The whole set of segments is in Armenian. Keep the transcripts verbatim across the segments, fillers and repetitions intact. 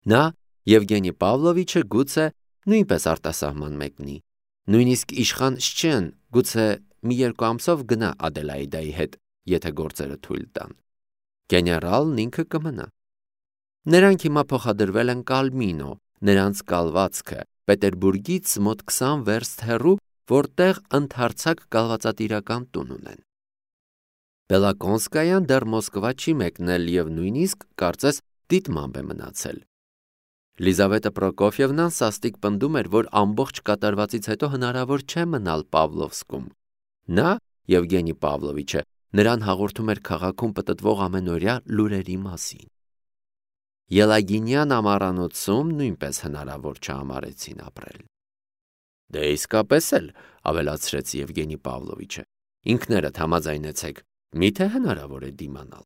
Նա Եվգենի Պավլովիչը գուցե նույնպես արտասահման մեկնի, նույնիսկ իշխան Շչեն գուցե մի երկու ամսով գնա Ադելայիդայի հետ, եթե գործերը թույլ տան։ Գեներալն ինքը կմնա։ Նրանք հիմա փոխադրվել են Կալմինո, նրանց կալվածքը Պետերբուրգից մոտ քսան վերստ հեռու, որտեղ ընդարձակ կալվածատիրական տուն ունեն։ Բելակոնսկայան դեռ Մոսկվա չի մեկնել և նույնիսկ կարծես դիտմամբ է մնացել։ Լիզավետա Պրոկոֆիևնան սաստիկ պնդում էր, որ ամբողջ կատարվածից հետո հնարավոր չէ մնալ Պավլովսկում։ Նա, Եվգենի Պավլովիչը, նրան հաղորդում էր քաղաքում պտտվող ամենօրյա լուրերի մասին։ Ելագինյան ամառանոցում նույնպես հնարավոր չհամարեցին ապրել։ Դե իսկապես էլ, ավելացրեց Եվգենի Պավլովիչը, ինքներդ համաձայնեցեք, միթե հնարավոր է դիմանալ,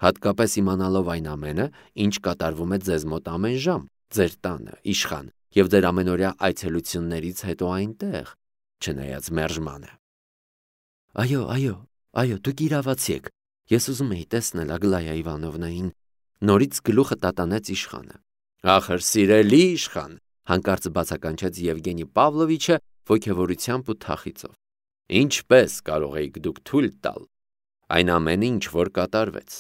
հատկապես իմանալով այն ամենը, ինչ կատարվում է ձեզ մոտ ամեն ժամ, ձեր տանը, իշխան, և ձեր ամենօրյա այցելություններից հետո այնտեղ, չնայած մերժմանը։ Այո, այո, այո, դուք իրավացի եք, ես ուզում էի տեսնել Ագլայա Իվանովնային, նորից գլուխը տատանեց իշխանը։ Ախր սիրելի իշխան, հանկարծ բացականչեց Եվգենի Պավլովիչը ոգևորությամբ ու թախիծով։ Ինչպես կարող էիք դուք թույլ տալ այն ամենը, ինչ որ կատարվեց։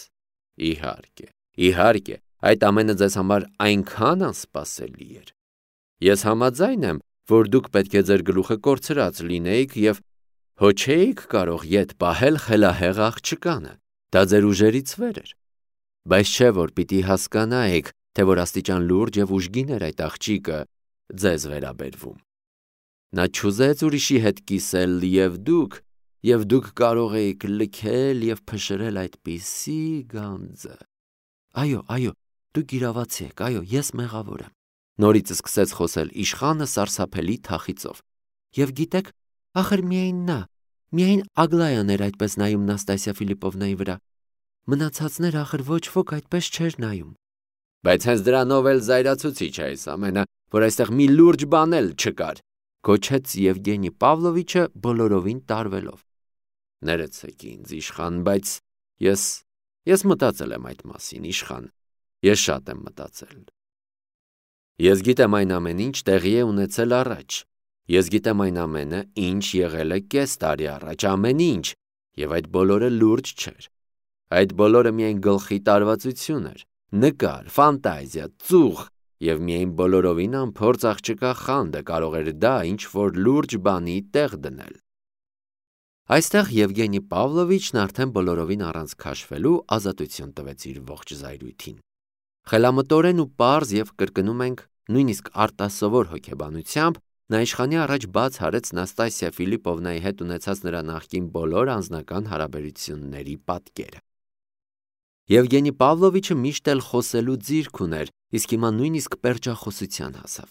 Իհարկե, իհարկե, այդ ամենը ձեզ համար այնքան անսպասելի էր։ Ես համաձայն եմ, որ դուք պետք է ձեր գլուխը կորցրած լինեիք և հո չէիք կարող ետ պահել խելահեղ աղջկանը, դա ձեր ուժերից վեր էր։ Բայց չէ, որ պիտի հասկանայիք, թե որ աստիճան լուրջ և ուժգին էր այդ աղջիկը ձեզ վերաբերվում։ Նա չուզեց ուրիշի հետ կիսել և դուք, և դուք կարող էիք լքել և փշրել այդպիսի գանձը։ Այո, այո, դուք իրավացի եք, այո, ես մեղավոր եմ։ Նորից սկսեց խոսել իշխանը սարսափելի թախիծով։ Եվ գիտեք, ախր միայն նա, միայն Ագլայան էր այդպես նայում Նաստասիա Ֆիլիպովնայի վրա։ Մնացածներ ախր ոչ ոք այդպես չէր նայում։ Բայց հենց դրանով էլ զայրացուցիչ է այս ամենը, որ այստեղ մի լուրջ բան էլ չկար, գոչեց Եվգենի Պավլովիչը բոլորովին տարվելով։ Ներեցեք ինձ, իշխան, բայց ես, ես մտածել եմ այդ մասին, իշխան, ես շատ եմ մտածել։ Ես գիտեմ այն ամեն ինչ տեղի է ունեցել առաջ, ես գիտեմ այն ամենը, ինչ եղել է կես տարի առաջ, ամեն ինչ, և այդ բոլորը լուրջ չէր։ Այդ բոլորը միայն գլխի տարվածություն էր, նկար, ֆանտազիա, ծուխ, և միայն բոլորովին անփորձ աղջկա խանդը կարող էր դա ինչ-որ լուրջ բանի տեղ դնել։ Այստեղ Եվգենի Պավլովիչն արդեն բոլորովին առանց քաշվելու ազատություն տվեց իր ողջ զայրույթին։ Խելամտորեն ու պարզ և կրկնում ենք նույնիսկ արտասովոր հոգեբանությամբ նա իշխանի առաջ բաց արեց Նաստասիա Ֆիլիպովնայի հետ ունեցած նրա նախկին բոլոր անձնական հարաբերությունների պատկերը։ Եվգենի Պավլովիչը միշտ էլ խոսելու ձիրք ուներ, իսկ հիմա նույնիսկ պերճախոսության հասավ։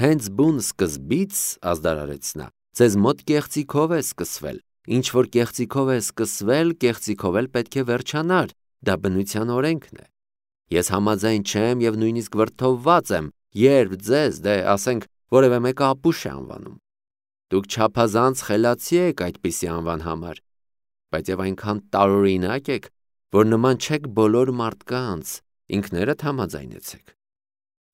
Հենց բուն սկզբից, ազդարարեց նա, ձեզ մոտ կեղծիքով է սկսվել, ինչ որ կեղծիքով է սկսվել, կեղծիքով էլ պետք է վերջանար, դա բնության օրենքն է։ Ես համաձայն չեմ և նույնիսկ վրդովված եմ, երբ ձեզ, դե ասենք, որևէ մեկը ապուշ է անվանում։ Դուք չափազանց խելացի եք այդպիսի անվան համար, բայց և այնքան տարօրինակ եք, որ նման չեք բոլոր մարդկանց, ինքներդ համաձայնեցեք։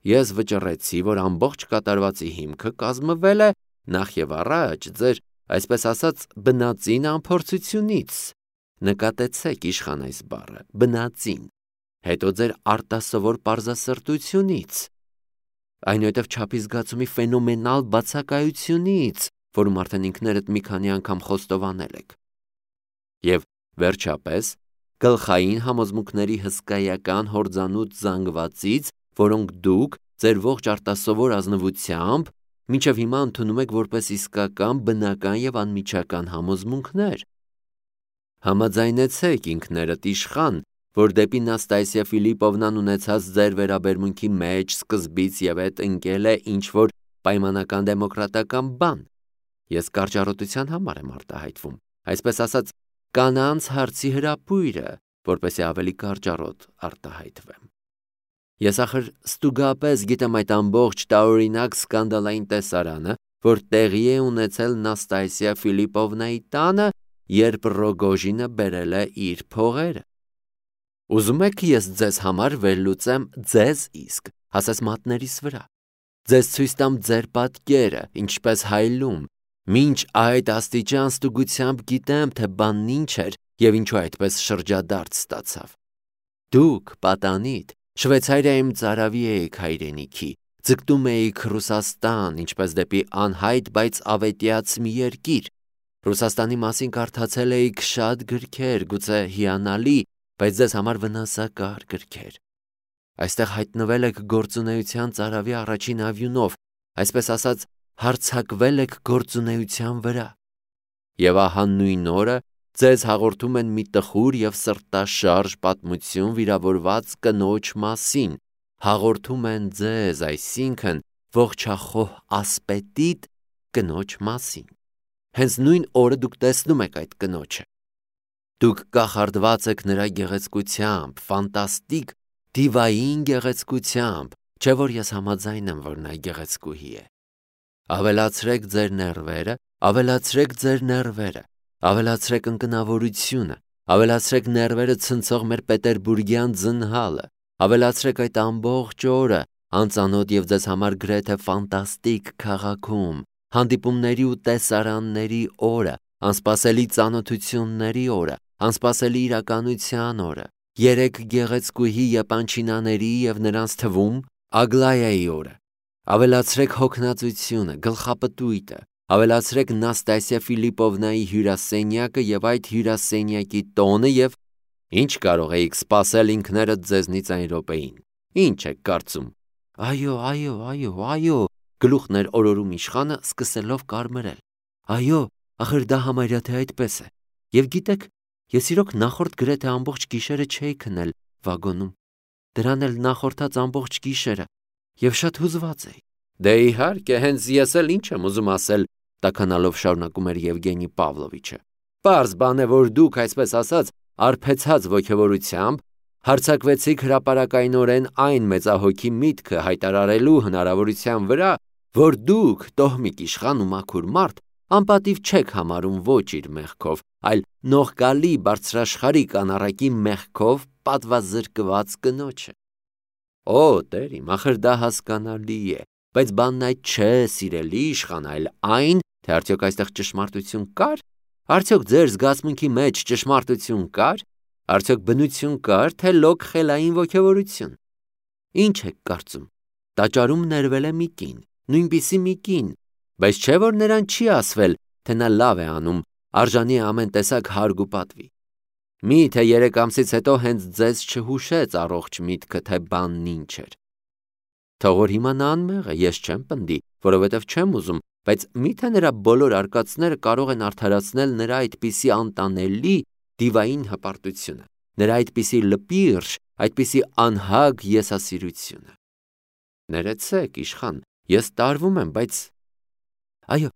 Ես վճռեցի, որ ամբողջ կատարվածի հիմքը կազմվել է նախ և առաջ ձեր, այսպես ասած, բնածին անփորձությունից, նկատեցեք իշխան այս բառը, բնածին, հետո ձեր արտասովոր պարզասրտությունից, այնուհետև չափի զգացումի ֆենոմենալ բացակայությունից, որում արդեն ինքներդ մի քանի անգամ խոստովանել եք, և վերջապես գլխային համոզմունքների հսկայական հորձանուտ զանգվածից, որոնք դուք ձեր ողջ արտասովոր ազնվությամբ մինչև հիմա ընդունում եք որպես իսկական, բնական և անմիջական համոզմունքներ։ Համաձայնեցեք ինքներդ իշխան, որ դեպի Նաստասիա Ֆիլիպովնան ունեցած ձեր վերաբերմունքի մեջ սկզբից և ետ ընկել է ինչ-որ պայմանական դեմոկրատական բան։ Ես կարճառոտության համար եմ արտահայտվում, այսպես ասած, կանանց հարցի հրապույրը, որպեսզի ավելի կարճառոտ արտահայտվեմ։ Ես ախր ստուգապես գիտեմ այդ ամբողջ տարօրինակ սկանդալային տեսարանը, որ տեղի է ունեցել Նաստասիա Ֆիլիպովնայի տանը, երբ Ռոգոժինը բերել է իր փողերը։ Ուզում եք ես ձեզ համար վերլուծեմ ձեզ իսկ հասես մատներիս վրա։ Ձեզ ցույց տամ ձեր պատկերը, ինչպես հայլում, մինչ այդ աստիճան ստուգությամբ գիտեմ, թե բանն ինչ էր եւ ինչու այդպես շրջադարձ ստացավ։ Դուք պատանիդ Շվեյցարիայում ծարավի էիք հայրենիքի, ձգտում էիք Ռուսաստան, ինչպես դեպի անհայտ, բայց ավետյաց մի երկիր։ Ռուսաստանի մասին կարդացել էիք շատ գրքեր, գուցե հիանալի, բայց ձեզ համար վնասակար գրքեր։ Այստեղ հայտնվել եք գործունեության ծարավի առաջին ավյունով, այսպես ասած, հարձակվել եք գործունեության վրա։ Եվ ահա նույն օրը ձեզ հաղորդում են մի տխուր եւ սրտաշարժ պատմություն վիրավորված կնոջ մասին, հաղորդում են ձեզ, այսինքն ողջախոհ ասպետիտ կնոջ մասին։ Հենց նույն օրը դուք տեսնում եք այդ կնոջը։ Դուք կախարդված եք նրա գեղեցկությամբ, ֆանտաստիկ, դիվային գեղեցկությամբ, չէ՞ որ ես համաձայն եմ, որ նա գեղեցկուհի է։ Ավելացրեք ձեր ներվերը, ավելացրեք ձեր ներվերը, ավելացրեք ընկնավորությունը, ավելացրեք ներվերը ցնցող մեր պետերբուրգյան ձնհալը, ավելացրեք այդ ամբողջ օրը, անծանոթ եւ ձեզ համար գրեթե ֆանտաստիկ քաղաքում, հանդիպումների ու տեսարանների օրը, անսպասելի ծանոթությունների օրը, անսպասելի իրականության օրը, երեք գեղեցկուհի եպանչինաների եւ նրանց թվում Ագլայայի օրը, ավելացրեք հոգնածությունը, գլխապտույտը, ավելացրեք Նաստասիա Ֆիլիպովնայի հյուրասենյակը եւ այդ հյուրասենյակի տոնը եւ ինչ կարող էիք սպասել ինքներդ ձեզնից այն րոպեին։ Ինչ եք կարծում։ Այո, այո, այո, այո, գլուխն էր օրորում իշխանը, սկսելով կարմրել։ Այո, ախր դա համարյա թե այդպես է։ Եվ գիտեք, ես իրոք նախորդ գրեթե ամբողջ գիշերը չէի քնել վագոնում։ Դրան էլ նախորդած ամբողջ գիշերը եւ շատ հուզված էի։ Դե իհարկե, հենց ես էլ ինչ եմ ուզում ասել, տաքանալով շարունակում էր Եվգենի Պավլովիչը։ Պարզ բան է, որ դուք, այսպես ասած, արբեցած ոգևորությամբ հարձակվեցիք հրապարակայնորեն այն մեծահոգի միտքը հայտարարելու հնարավորության վրա, որ դուք, տոհմիկ իշխան ու մաքուր մարդ, անպատիվ չեք համարում ոչ իր մեղքով, այլ նողկալի բարձրաշխարհիկ անառակի մեղքով պատվազրկված կնոջը։ Օ, տեր իմ, ախր դա հասկանալի է, բայց բանն այդ չէ, սիրելի իշխան, այլ այն, թե արդյոք այստեղ ճշմարտություն կար, արդյոք ձեր զգացմունքի մեջ ճշմարտություն կար, արդյոք բնություն կար, թե լոկ խելային ոգևորություն։ Ինչ եք կարծում։ Տաճարում ներվել է մի կին, նույնպիսի մի կին, բայց չէ որ նրան չի ասվել, թե նա լավ է անում, արժանի է ամեն տեսակ հարգ ու պատվի։ Մի՞թե երեք ամսից հետո հենց ձեզ չհուշեց առողջ միտքը, թե բանն ինչ էր։ Թող որ հիմա նա անմեղ է, ես չեմ պնդի, որովհետև չեմ ուզում, բայց մի՞թե նրա բոլոր արկածները կարող են արդարացնել նրա այդպիսի անտանելի դիվային հպարտությունը, նրա այդպիսի լպիրշ, այդպիսի անհագ եսասիրությունը։ Ներեցեք, իշխան, ես տարվում եմ, բայց… Այո,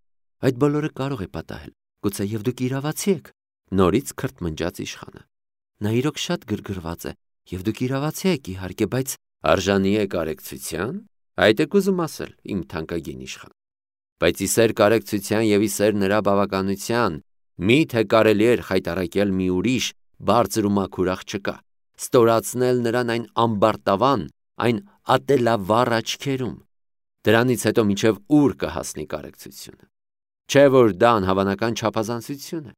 այդ բոլորը կարող է պատահել, գուցե եւ դուք իրավացի եք, նորից քրթմնջաց իշխանը։ Նա իրոք շատ գրգռված է, եւ դուք իրավացի եք իհարկե, բայց… Արժանի է կարեկցության, այդ եք ուզում ասել, իմ թանկագին իշխան։ Բայց իսեր կարեկցության եւ իսեր նրա բավականության, մի՞թե կարելի էր խայտառակել մի ուրիշ բարձր ու մաքուր աղջկա, ստորացնել նրան այն ամբարտավան, այն ատելավառ աչքերում։ Դրանից հետո մինչև ուր կհասնի կարեկցությունը։ Չէ որ դա անհավանական չափազանցություն է։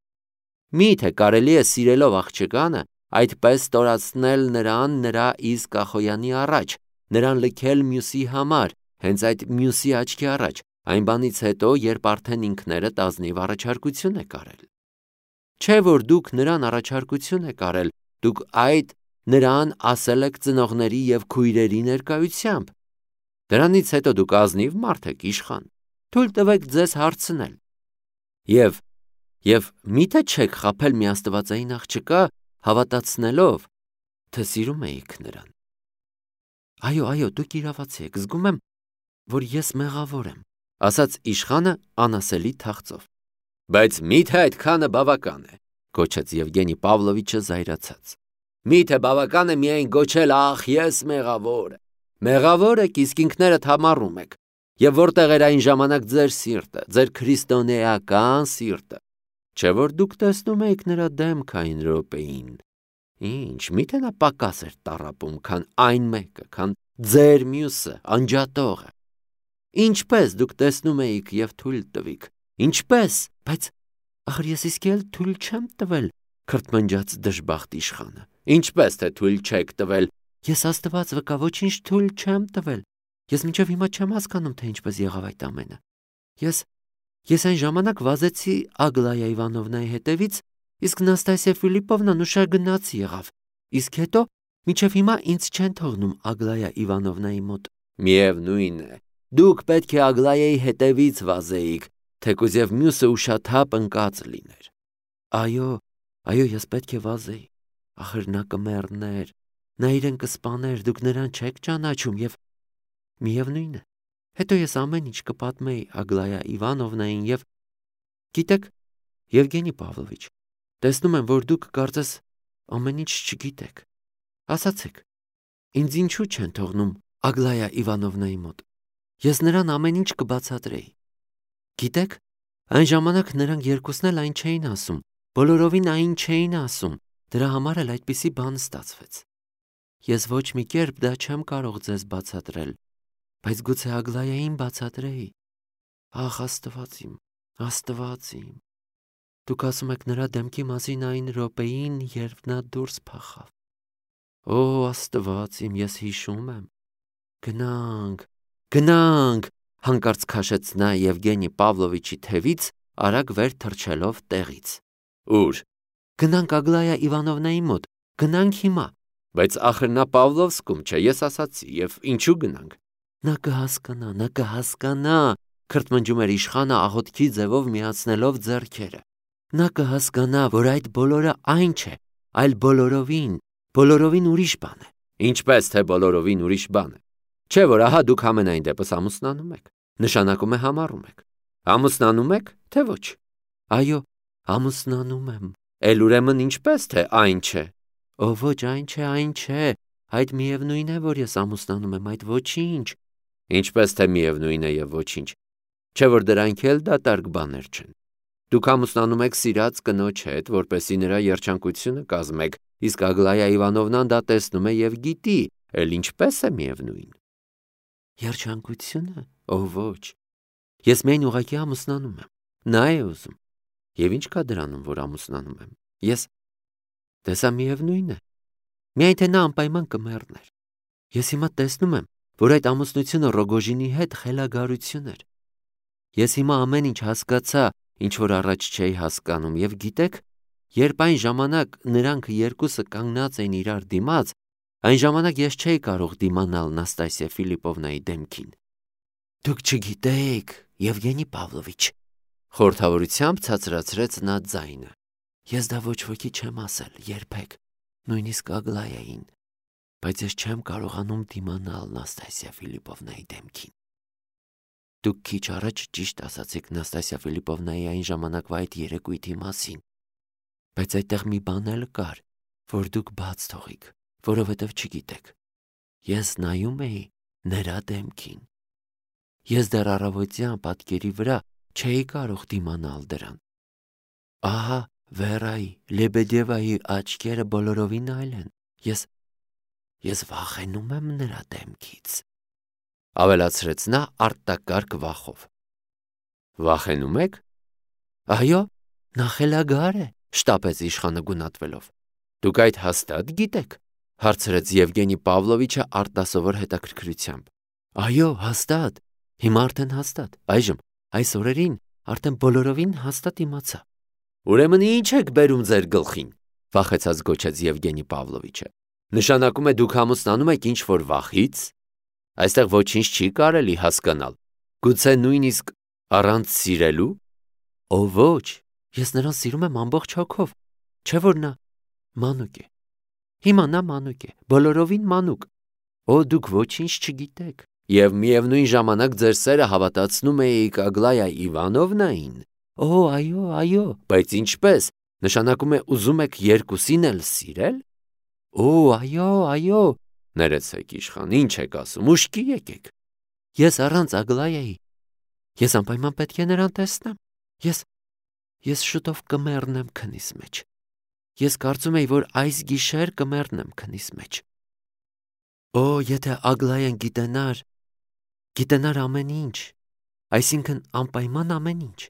Մի՞թե կարելի է սիրելով աղջկանը այդպես ստորացնել նրան նրա իսկ Ախոյանի առաջ, նրան լքել մյուսի համար, հենց այդ մյուսի աչքի առաջ, այն բանից հետո, երբ արդեն ինքներդ ազնիվ առաջարկություն եք արել։ Չէ որ դուք նրան առաջարկություն եք արել, դուք այդ նրան ասել եք ծնողների եւ քույրերի ներկայությամբ։ Դրանից հետո դուք ազնիվ մարդ եք իշխան, թույլ տվեք ձեզ հարցնել։ Եվ եւ մի՞թե չեք խաբել մի աստվածային աղջկա, հավատացնելով, թե սիրում էիք նրան։ Այո, այո, դուք իրավացի եք, զգում եմ, որ ես մեղավոր եմ, ասաց իշխանը անասելի թախծով։ Բայց մի՞թե այդքանը բավական է, գոչեց Եվգենի Պավլովիչը զայրացած։ Մի՞թե բավական է միայն գոչել, ախ, ես մեղավոր եմ։ Մեղավոր եք, իսկ ինքներդ համառում եք։ Եվ որտեղ էր այն ժամանակ ձեր սիրտը, ձեր քրիստոնեական սիրտը։ Չէ որ դուք տեսնում եք նրա դեմքը այն րոպեին։ Ինչ, միթե նա պակաս էր տառապում, քան այն մեկը, քան ձեր մյուսը, անջատողը։ Ինչպես դուք տեսնում էիք եւ թույլ տվիք։ Ինչպես, բայց ախր ես իսկ էլ թույլ չեմ տվել, քրթմնջաց դժբախտ իշխանը։ Ինչպես թե թույլ չեք տվել։ Ես Աստված վկա ոչինչ թույլ չեմ տվել։ Ես մինչև հիմա չեմ հասկանում, թե ինչպես եղավ այդ ամենը։ Ես ես այն ժամանակ վազեցի Ագլայա Իվանովնայի հետևից, իսկ Նաստասիա Ֆիլիպովնան ուշա գնաց եղավ։ Իսկ հետո մինչև հիմա ինձ չեն թողնում Ագլայա Իվանովնայի մոտ։ Միևնույն է, դուք պետք է Ագլայայի հետևից վազեիք, թեկուզ եւ մյուսը ուշաթափ ընկած լիներ։ Այո, այո, ես պետք է վազեի։ Ախր նա կմեռներ, նա իրեն կսպաներ, դուք նրան չեք ճանաչում եւ միևնույն է։ Հետո ես ամեն ինչ կպատմեի Ագլայա Իվանովնային եւ գիտեք, Եվգենի Պավլովիչ, տեսնում եմ, որ դուք կարծես ամեն ինչ չգիտեք։ Ասացեք, ինձ ինչու չեն թողնում Ագլայա Իվանովնայի մոտ։ Ես նրան ամեն ինչ կբացատրեի։ Գիտեք, այն ժամանակ նրանք երկուսն էլ այն չէին ասում, բոլորովին այն չէին ասում, դրա համար էլ այդպիսի բան ստացվեց։ Ես ոչ մի կերպ դա չեմ կարող ձեզ բացատրել, բայց գուցե Ագլայային բացատրեի։ Ախ, Աստված իմ, Աստված իմ։ Դուք ասում եք նրա դեմքի մասին այն րոպեին, երբ նա դուրս փախավ։ Օ, Աստված իմ, ես հիշում եմ։ Գնանք, գնանք, հանկարծ քաշեց նա Եվգենի Պավլովիչի թևից, արագ վեր թռչելով տեղից։ Ուր։ Գնանք Ագլայա Իվանովնայի մոտ, գնանք հիմա։ Բայց ախր նա Պավլովսկում չէ, ես ասացի, եւ ինչու գնանք։ Նա կհասկանա, նա կհասկանա, քրթմնջում էր իշխանը աղոթքի ձևով միացնելով ձեռքերը։ Նա կհասկանա, որ այդ բոլորը այն չէ, այլ բոլորովին, բոլորովին ուրիշ բան է։ Ինչպես թե բոլորովին ուրիշ բան է։ Չէ՞ որ ահա դուք ամենայն դեպս ամուսնանում եք։ Նշանակում է համառում եք։ Ամուսնանում եք, թե ոչ։ Այո, ամուսնանում եմ։ Էլ ուրեմն ինչպես թե այն չէ։ Ո ոչ, այն չէ, այն չէ։ Այդ միևնույն է, որ ես ամուսնանում եմ, այդ ոչինչ։ Ինչպես թե միևնույն է եւ ոչինչ։ Չէ՞ որ դրանք էլ դատարկ բաներ չեն։ Դուք ամուսնանում եք սիրած կնոջ հետ, որպեսզի նրա երջանկությունը կազմեք, իսկ Ագլայա Իվանովնան դա տեսնում է եւ գիտի, էլ ինչպես է միևնույն։ Երջանկությունը։ Ո ոչ։ Ես միայն ուղղակի ամուսնանում եմ։ Նա է ուզում։ Եվ ինչ կա դրանում, որ ամուսնանում եմ։ Ես տեսա միևնույն է։ Միայն թե նա անպայման կմեռներ։ Ես հիմա տեսնում եմ, որ այդ ամուսնությունը Ռոգոժինի հետ խելագարություն էր։ Ես հիմա ամեն ինչ հասկացա, ինչ որ առաջ չէի հասկանում, եւ գիտեք, երբ այն ժամանակ նրանք երկուսը կանգնած էին իրար դիմաց, այն ժամանակ ես չէի կարող դիմանալ Նաստասիա Ֆիլիպովնայի դեմքին։ Դուք չգիտեք, Եվգենի Պավլովիչ, խորհրդավորությամբ ցածրացրեց նա ձայնը։ Ես դա ոչ ոքի չեմ ասել, երբեք, նույնիսկ Ագլայային, բայց ես չեմ կարողանում դիմանալ Նաստասիա Ֆիլիպովնայի դեմքին։ Դուք քիչ առաջ ճիշտ ասացիք Նաստասիա Ֆիլիպովնայի այն ժամանակվա այդ երեկույթի մասին, բայց այդտեղ մի բան էլ կար, որ դուք բաց թողիք, որովհետև չգիտեք։ Ես նայում էի նրա դեմքին։ Ես դեռ առավոտյան պատկերի վրա չէի կարող դիմանալ դրան։ Ահա Վերայի, Լեբեդևայի աչքերը բոլորովին այլ են։ Ես ես վախենում եմ նրա դեմքից։ Ավելացրեց նա արտակարգ վախով։ Վախենում եք։ Այո, նա խելագար է, շտապեց իշխանը գունատվելով։ Դուք այդ հաստատ գիտեք, հարցրեց Եվգենի Պավլովիչը արտասովոր հետաքրքրությամբ։ Այո, հաստատ։ Հիմա արդեն հաստատ։ Այժմ այս օրերին արդեն բոլորովին հաստատ իմացա։ Ուրեմն ինչ եք բերում ձեր գլխին, վախեցած գոչեց Եվգենի Պավլովիչը։ Նշանակում է դուք ամուսնանում եք ինչ որ վախից։ Այստեղ ոչինչ չի կարելի հասկանալ։ Գուցե նույնիսկ առանց սիրելու։ Ո ոչ, ես նրան սիրում եմ ամբողջ հոգով։ Չէ՞ որ նա մանուկ է։ Հիմա նա մանուկ է, բոլորովին մանուկ։ Օ դուք ոչինչ չգիտեք։ Եվ միևնույն ժամանակ ձեր սերը հավատացնում էիք Ագլայա Իվանովնային։ Օ, այո, այո, բայց ինչպես։ Նշանակում է ուզում եք երկուսին էլ սիրել։ Օ, այո, այո, ներեցեք իշխան, ինչ եք ասում, ուշքի եկեք։ Ես առանց Ագլայայի։ Ես անպայման պետք է նրան տեսնեմ։ Ես ես շուտով կմեռնեմ քնիս մեջ։ Ես կարծում էի, որ այս գիշեր կմեռնեմ քնիս մեջ։ Օ, եթե Ագլայան գիտենար, գիտենար ամեն ինչ, այսինքն անպայման ամեն ինչ,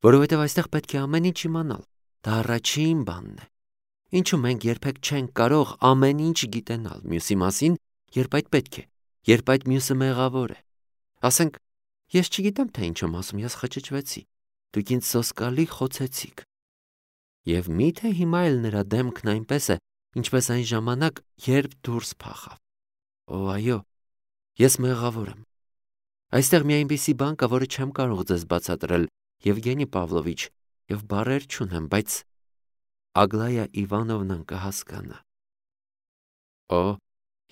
որովհետև այստեղ պետք է ամեն ինչ իմանալ, դա առաջին բանն է, ինչու մենք երբեք չենք կարող ամեն ինչ գիտենալ մյուսի մասին, երբ այդ պետք է, երբ այդ մյուսը մեղավոր է, ասենք, ես չգիտեմ, թե ինչ եմ ասում, ես խճճվեցի, դուք ինձ սոսկալի խոցեցիք, և միթե հիմա էլ նրա դեմքն այնպես է, ինչպես այն ժամանակ, երբ դուրս փախավ, օ, այո, ես մեղավոր եմ, այստեղ մի այնպիսի բան կա, որը չեմ կարող ձեզ բացատրել, Եվգենի Պավլովիչ, և բառեր չունեմ, բայց Ագլայա Իվանովնան կհասկանա։ Օ,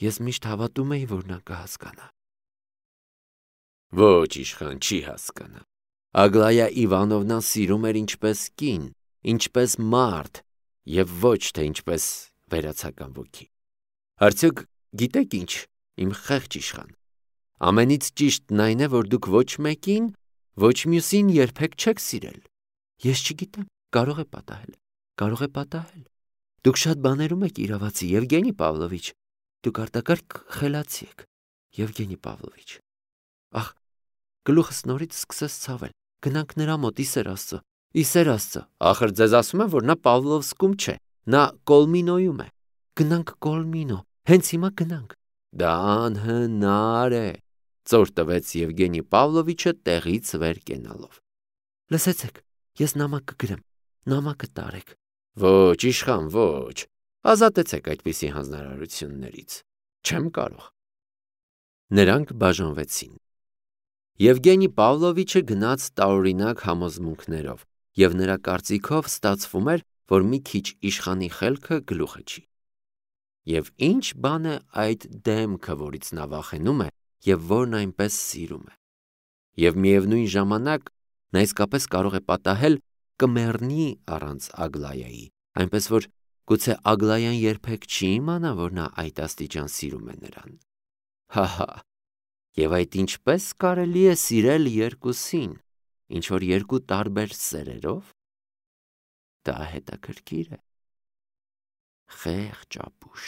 ես միշտ հավատում էի, որ նա կհասկանա։ Ոչ, իշխան, չի հասկանա։ Ագլայա Իվանովնան սիրում էր ինչպես կին, ինչպես մարդ, և ոչ թե ինչպես վերացական ոգի։ Արդյոք գիտեք ինչ, իմ խեղճ իշխան, ամենից ճիշտն այն է, որ դուք ոչ մեկին, ոչ մյուսին երբեք չեք սիրել։ Ես չգիտեմ, կարող է պատահել, կարող է պատահել։ Դուք շատ բաներում եք իրավացի, Եվգենի Պավլովիչ, դուք արտակարգ խելացի եք, Եվգենի Պավլովիչ։ Ախ, գլուխս նորից սկսեց ցավել, գնանք նրա մոտ, իսեր Աստծո, իսեր Աստծո, ախր ձեզ ասում եմ, որ նա Պավլովսկում չէ, նա Կոլմինոյում է, գնանք Կոլմինո, հենց հիմա գնանք։ Դա անհնար է, ծոր տվեց Եվգենի Պավլովիչը տեղից վեր կենալով։ Լսեցեք, ես նամակ կգրեմ, նամակը տարեք։ Ոչ, իշխան, ոչ, ազատեցեք այդպիսի հանձնարարություններից, չեմ կարող։ Նրանք բաժանվեցին։ Եվգենի Պավլովիչը գնաց տարօրինակ համոզմունքներով, և նրա կարծիքով ստացվում էր, որ մի քիչ իշխանի խելքը գլուխը չի։ Եվ ինչ բան է այդ դեմքը, որից նա վախենում է, և որն այնպես սիրում է։ Եվ միևնույն ժամանակ նա իսկապես կարող է պատահել կմեռնի առանց Ագլայայի, այնպես որ գուցե Ագլայան երբեք չի իմանա, որ նա այդ աստիճան սիրում է նրան։ Հա՛֊հա՛, և այդ ինչպես կարելի է սիրել երկուսին, ինչ-որ երկու տարբեր սերերով։ Դա հետաքրքիր է։ Խեղճ ապուշ։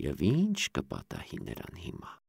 Եվ ինչ կպատահի նրան հիմա։